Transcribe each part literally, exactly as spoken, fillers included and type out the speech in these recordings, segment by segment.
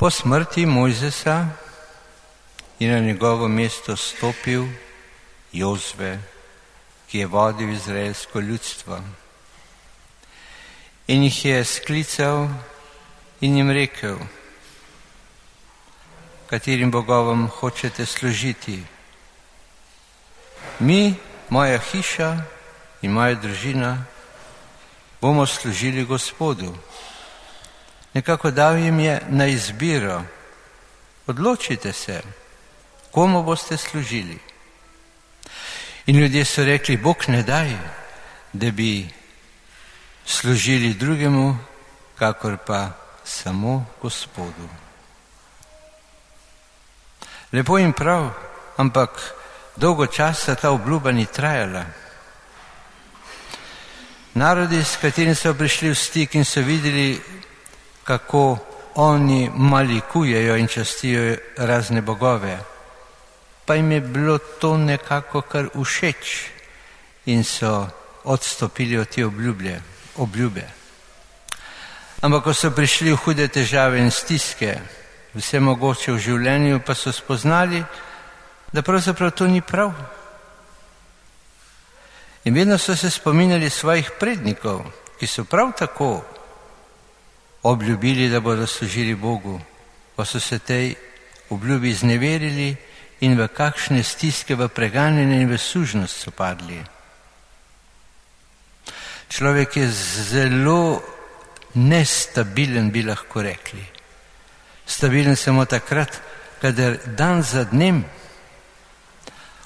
Po smrti Mojzesa je na njegovo mesto stopil Jozue, ki je vodil izraelsko ljudstvo. In jih je sklical in jim rekel: katerim bogovom hočete služiti? Mi, moja hiša in moja družina bomo služili Gospodu. Nekako dal jim je na izbiro: odločite se, komu boste služili. In ljudje so rekli: Bog ne daj, da bi služili drugemu, kakor pa samo Gospodu. Lepo in prav, ampak dolgo časa ta obljuba ni trajala. Narodi, s katerimi so prišli v stik in so videli, kako oni malikujejo in častijo razne bogove, pa jim je bilo to nekako kar všeč in so odstopili od te obljublje, obljube. Ampak ko so prišli v hude težave in stiske, vse mogoče v življenju, pa so spoznali, da pravzaprav to ni prav. In vedno so se spominjali svojih prednikov, ki so prav tako obljubili, da bodo služili Bogu, pa so se tej obljubi izneverili in v kakšne stiske, v preganjanje in v sužnost so padli. Človek je zelo nestabilen, bi lahko rekli. Stabilen samo takrat, kadar dan za dnem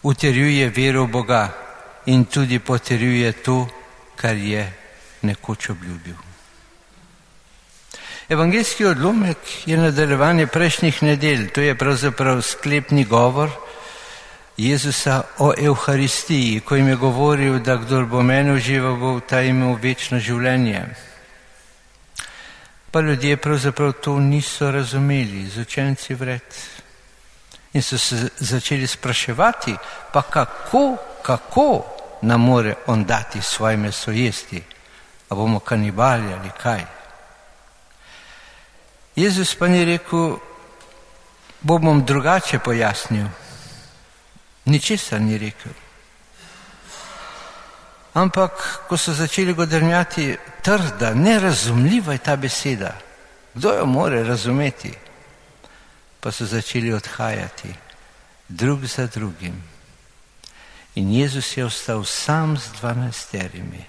utrjuje vero v Boga in tudi potrjuje to, kar je nekoč obljubil. Evangeljski odlomek je nadaljevanje prejšnjih nedelj. To je pravzaprav sklepni govor Jezusa o Evharistiji, ko jim je govoril, da kdor bo mene užival, bo ta imel večno življenje. Pa ljudje pravzaprav to niso razumeli, z učenci vred. In so se začeli spraševati, pa kako, kako nam more on dati svoje meso jesti? A bomo kanibali ali kaj? Jezus pa ni rekel: bom drugače pojasnil. Ničesar ni rekel. Ampak, ko so začeli godrnjati, trda, nerazumljiva je ta beseda. Kdo jo more razumeti? Pa so začeli odhajati, drug za drugim. In Jezus je ostal sam z dvanajsterimi.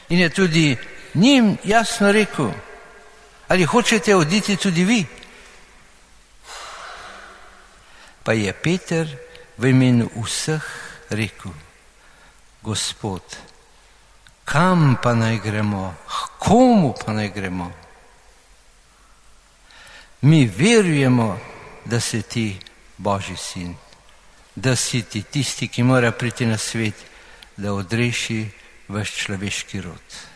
In je tudi njim jasno rekel: ali hočete oditi tudi vi? Pa je Peter v imenu vseh rekel: Gospod, kam pa naj gremo? Komu pa naj gremo? Mi verujemo, da si ti Božji sin, da si ti tisti, ki mora priti na svet, da odreši vaš človeški rod.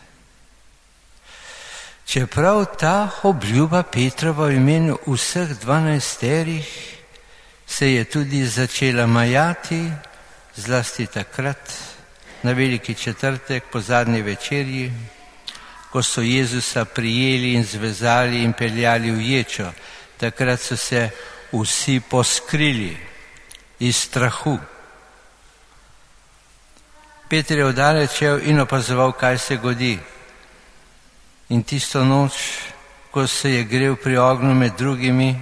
Čeprav ta obljuba Petrova v imenu vseh dvanajsterih se je tudi začela majati, zlasti takrat, na veliki četrtek po zadnji večerji, ko so Jezusa prijeli in zvezali in peljali v ječo. Takrat so se vsi poskrili iz strahu. Peter je oddaleč in opazoval, kaj se godi. In tisto noč, ko se je grel pri ognju med drugimi,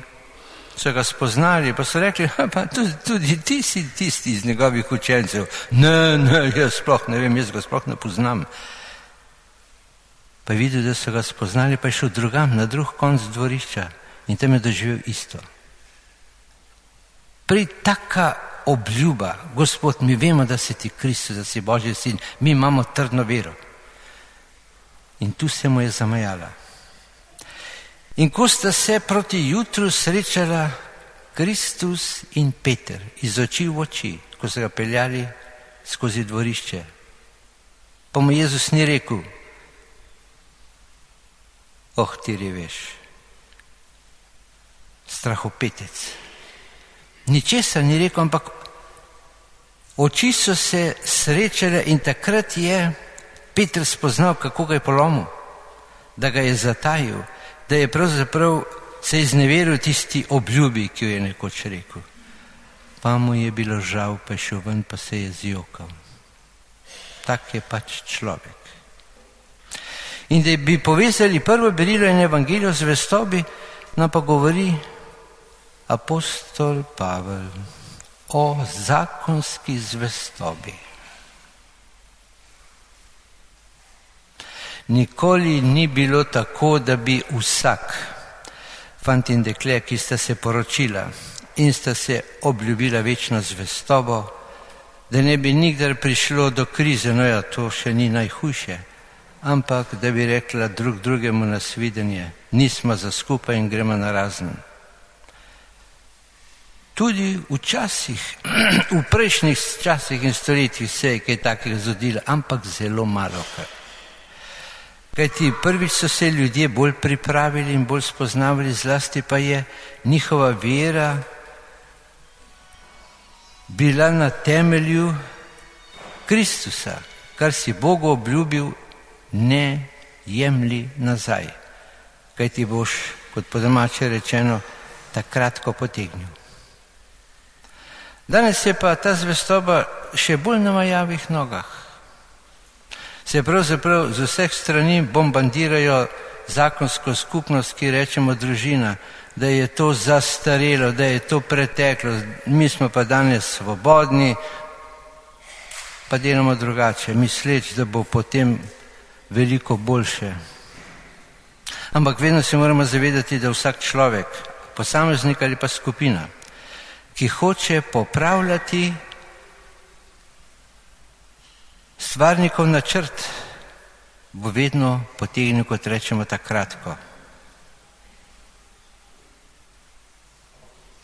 so ga spoznali, pa so rekli: pa tudi, tudi ti si tisti iz njegovih učencev. Ne, ne, jaz sploh ne vem, jaz ga sploh ne poznam. Pa je videl, da so ga spoznali, pa je šel drugam, na drug konc dvorišča in tam je doživel isto. Pri taka obljuba: Gospod, mi vemo, da si ti Kristus, da si Božji sin, mi imamo trdno vero. In tu se mu je zamajala. In ko sta se proti jutru srečala Kristus in Peter, iz oči v oči, ko so ga peljali skozi dvorišče, pa mu Jezus ni rekel: oh, ti reveš, strahopetec. Ničesar ni rekel, ampak oči so se srečale in takrat je Peter spoznal, kako ga je polomil, da ga je zatajil, da je pravzaprav se izneveril tisti obljubi, ki jo je nekoč rekel. Pa mu je bilo žal, pa je šel ven, pa se je zjokal. Tak je pač človek. In da bi povezali prvo berilo in evangelijo z zvestobi, nam pa govori apostol Pavel o zakonski zvestobi. Nikoli ni bilo tako, da bi vsak fant in dekle, ki sta se poročila in sta se obljubila večno zvestobo, da ne bi nikdar prišlo do krize, no ja, to še ni najhujše, ampak da bi rekla drug drugemu na svidenje, nismo za skupaj in gremo na razen. Tudi včasih, v prejšnjih časih in stoletjih se je kaj takega zgodilo, ampak zelo malo kar. Kajti prvič so se ljudje bolj pripravili in bolj spoznavali, zlasti pa je njihova vera bila na temelju Kristusa, kar si Bogu obljubil, ne jemli nazaj, kajti boš, kot po domače rečeno, takrat, ko potegnil. Danes je pa ta zvestoba še bolj na majavih nogah. Se pravzaprav z vseh strani bombardirajo zakonsko skupnost, ki rečemo družina, da je to zastarelo, da je to preteklo, mi smo pa danes svobodni, pa delamo drugače, misleč, da bo potem veliko boljše. Ampak vedno se moramo zavedati, da vsak človek, posameznik ali pa skupina, ki hoče popravljati stvarnikov načrt, bo vedno potegnil, kot rečemo, ta kratko.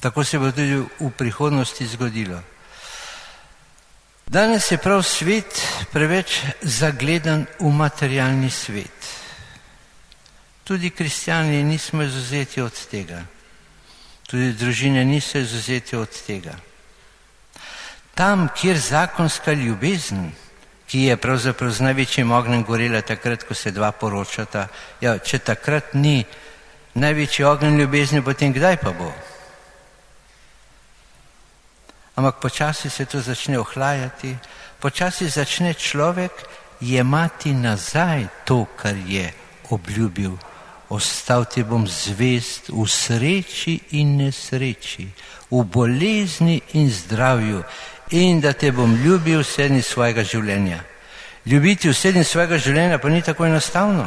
Tako se bo tudi v prihodnosti zgodilo. Danes je prav svet preveč zagledan v materialni svet. Tudi kristjani nismo izvzeti od tega. Tudi družine niso izvzeti od tega. Tam, kjer zakonska ljubezen, ki je pravzaprav z največjim ognjem gorela takrat, ko se dva poročata, ja, če takrat ni največji ogenj ljubezni, potem kdaj pa bo? Ampak počasi se to začne ohlajati, počasi začne človek jemati nazaj to, kar je obljubil. Ostal ti bom zvest v sreči in nesreči, v bolezni in zdravju, in da te bom ljubil vse dni svojega življenja. Ljubiti vse dni svojega življenja pa ni tako enostavno,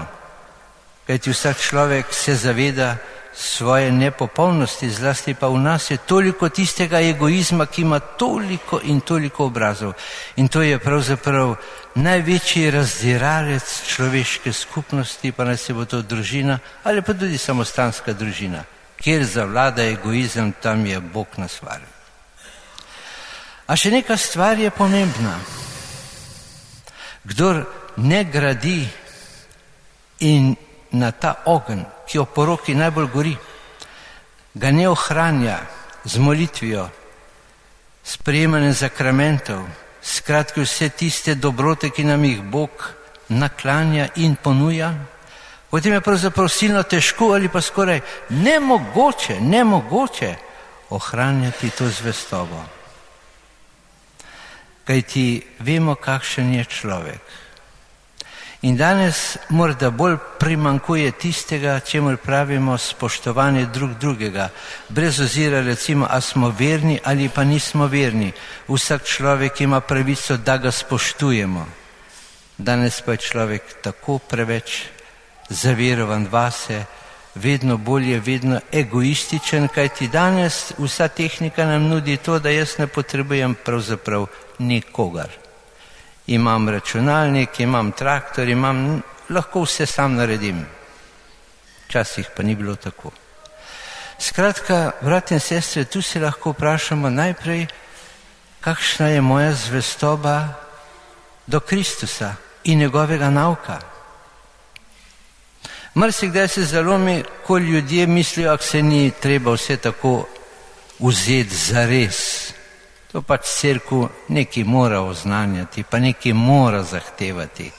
kajti vsak človek se zaveda svoje nepopolnosti, zlasti pa v nas je toliko tistega egoizma, ki ima toliko in toliko obrazov. In to je pravzaprav največji razdiralec človeške skupnosti, pa naj se bo to družina ali pa tudi samostanska družina. Kjer zavlada egoizem, tam je Bog na stvari. A še neka stvar je pomembna. Kdor ne gradi in na ta ogenj, ki o poroki najbolj gori, ga ne ohranja z molitvijo, s prejemanjem zakramentov, skratki vse tiste dobrote, ki nam jih Bog naklanja in ponuja, potem je pravzaprav silno težko ali pa skoraj nemogoče, nemogoče ohranjati to zvestobo. Kajti vemo, kakšen je človek. In danes morda bolj primanjkuje tistega, čemur pravimo spoštovanje drug drugega, brez ozira recimo, a smo verni ali pa nismo verni. Vsak človek ima pravico, da ga spoštujemo. Danes pa je človek tako preveč zaverovan vase, vedno bolje, vedno egoističen, kajti danes vsa tehnika nam nudi to, da jaz ne potrebujem pravzaprav nikogar. Imam računalnik, imam traktor, imam, lahko vse sam naredim. Včasih pa ni bilo tako. Skratka, brat in sestre, tu se lahko vprašamo najprej, kakšna je moja zvestoba do Kristusa in njegovega nauka. Marsikdaj se zalomi, ko ljudje mislijo, ak se ni treba vse tako vzeti za res. To pač cerkev nekaj mora oznanjati, pa nekaj mora zahtevati.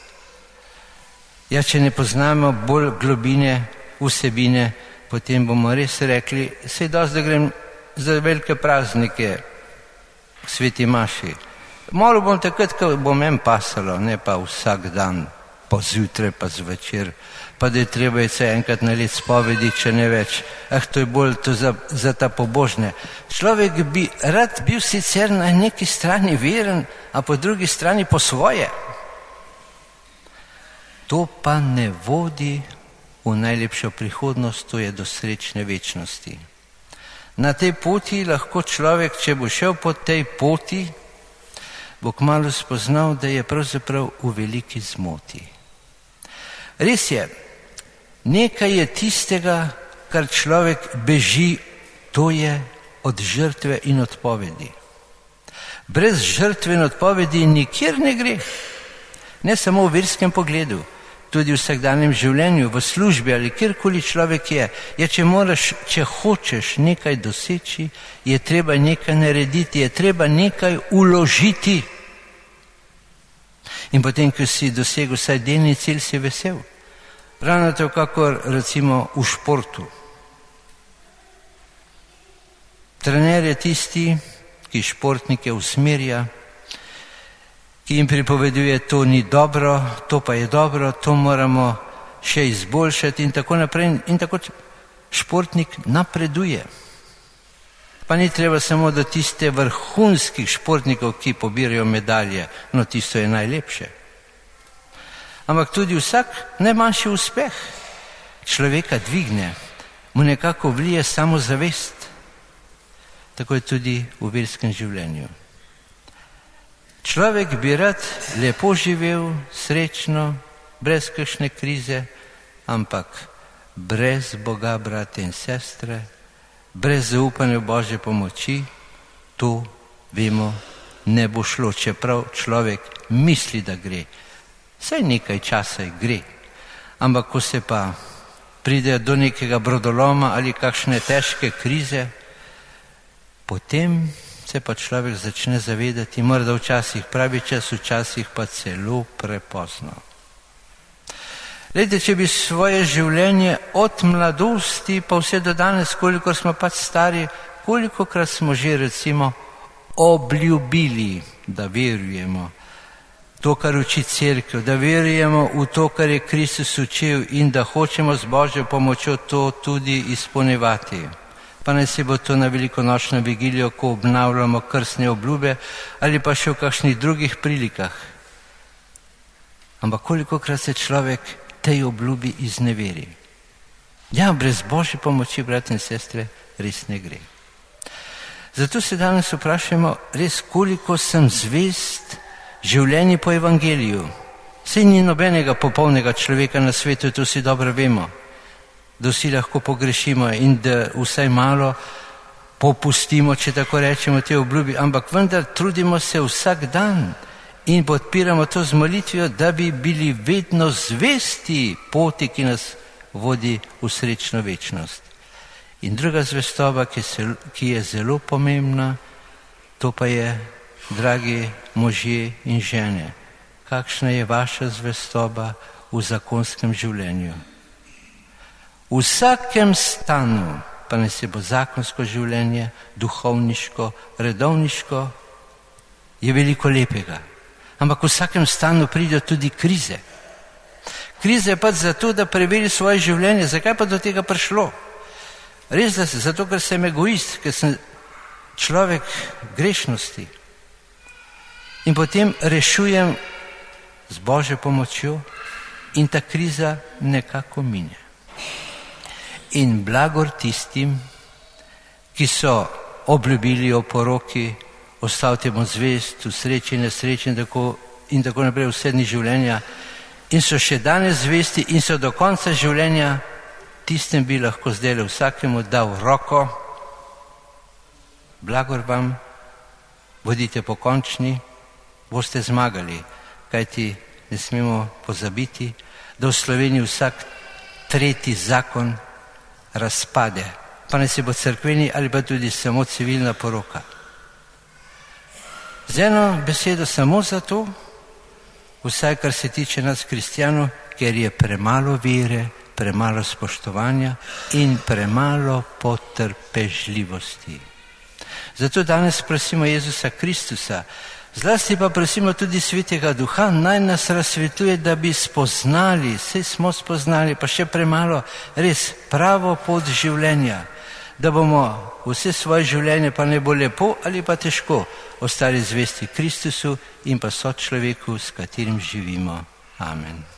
Ja, če ne poznamo bolj globine, vsebine, potem bomo res rekli, sej dosti, da grem za velike praznike k sveti maši. Malo bom takrat, ko bom en pasalo, ne pa vsak dan, pa zjutraj, pa zvečer, pa da je treba je se enkrat na let spovedi, če ne več. Ah, to je bolj to za, za ta pobožne. Človek bi rad bil sicer na neki strani veren, a po drugi strani po svoje. To pa ne vodi v najlepšo prihodnost, to je do srečne večnosti. Na tej poti lahko človek, če bo šel po tej poti, bo kmalu spoznal, da je pravzaprav v veliki zmoti. Res je, nekaj je tistega, kar človek beži, to je od žrtve in odpovedi. Brez žrtve in odpovedi nikjer ne gre. Ne samo v verskem pogledu, tudi v vsakdanjem življenju, v službi ali kjerkoli človek je. Je, če moraš, če hočeš nekaj doseči, je treba nekaj narediti, je treba nekaj uložiti. In potem, ko si dosegel vsaj delni cilj, si vesel. Ravno tako, kakor recimo v športu. Trener je tisti, ki športnike usmerja, ki jim pripoveduje, to ni dobro, to pa je dobro, to moramo še izboljšati in tako naprej. In tako športnik napreduje. Pa ni treba samo do tiste vrhunskih športnikov, ki pobirajo medalje, no tisto je najlepše. Ampak tudi vsak najmanjši uspeh človeka dvigne, mu nekako vlije samozavest. Tako je tudi v verskem življenju. Človek bi rad lepo živel, srečno, brez kakšne krize, ampak brez Boga, brate in sestre, brez zaupanja v Božje pomoči, to, vemo, ne bo šlo, čeprav človek misli, da gre. Saj nekaj časa gre, ampak ko se pa pride do nekega brodoloma ali kakšne težke krize, potem se pa človek začne zavedati, morda včasih pravi čas, včasih pa celo prepozno. Glejte, če bi svoje življenje od mladosti pa vse do danes, koliko smo pač stari, kolikokrat smo že recimo obljubili, da verujemo to, kar uči cerkev, da verujemo v to, kar je Kristus učil in da hočemo z Božjo pomočjo to tudi izpolnjevati. Pa naj se bo to na velikonočno vigilijo, ko obnavljamo krstne obljube ali pa še v kakšnih drugih prilikah. Ampak kolikokrat se človek tej obljubi izneveri. Ja, brez Božje pomoči, brat in sestre, res ne gre. Zato se danes vprašamo, res koliko sem zvest življenju po evangeliju. Saj ni nobenega popolnega človeka na svetu, to si dobro vemo, da vsi lahko pogrešimo in da vsaj malo popustimo, če tako rečemo, te obljubi, ampak vendar trudimo se vsak dan in podpiramo to z molitvijo, da bi bili vedno zvesti poti, ki nas vodi v srečno večnost. In druga zvestoba, ki, se, ki je zelo pomembna, to pa je, dragi možje in žene, kakšna je vaša zvestoba v zakonskem življenju. V vsakem stanu, pa ne se bo zakonsko življenje, duhovniško, redovniško, je veliko lepega. Ampak v vsakem stanu pridejo tudi krize. Kriza je pač zato, da preveri svoje življenje. Zakaj pa do tega prišlo? Res, da se, zato, ker sem egoist, ker sem človek grešnosti. In potem rešujem z Božjo pomočjo in ta kriza nekako mine. In blagor tistim, ki so obljubili o poroki, ostavite mu zvest, v sreči in nesreči in tako, in tako naprej vse dni življenja, in so še danes zvesti in so do konca življenja, tistem bi lahko zdaj vsakemu dal roko. Blagor vam, bodite pokončni, boste zmagali, kajti ne smemo pozabiti, da v Sloveniji vsak tretji zakon razpade, pa ne se bo cerkveni ali pa tudi samo civilna poroka. Z eno besedo samo zato, vsaj kar se tiče nas kristjanov, ker je premalo vere, premalo spoštovanja in premalo potrpežljivosti. Zato danes prosimo Jezusa Kristusa, zlasti pa prosimo tudi Svetega Duha, naj nas razsvetuje, da bi spoznali, saj smo spoznali, pa še premalo, res pravo pot življenja, da bomo vse svoje življenje, pa ne bo lepo ali pa težko, ostali zvesti Kristusu in pa sočloveku, s katerim živimo. Amen.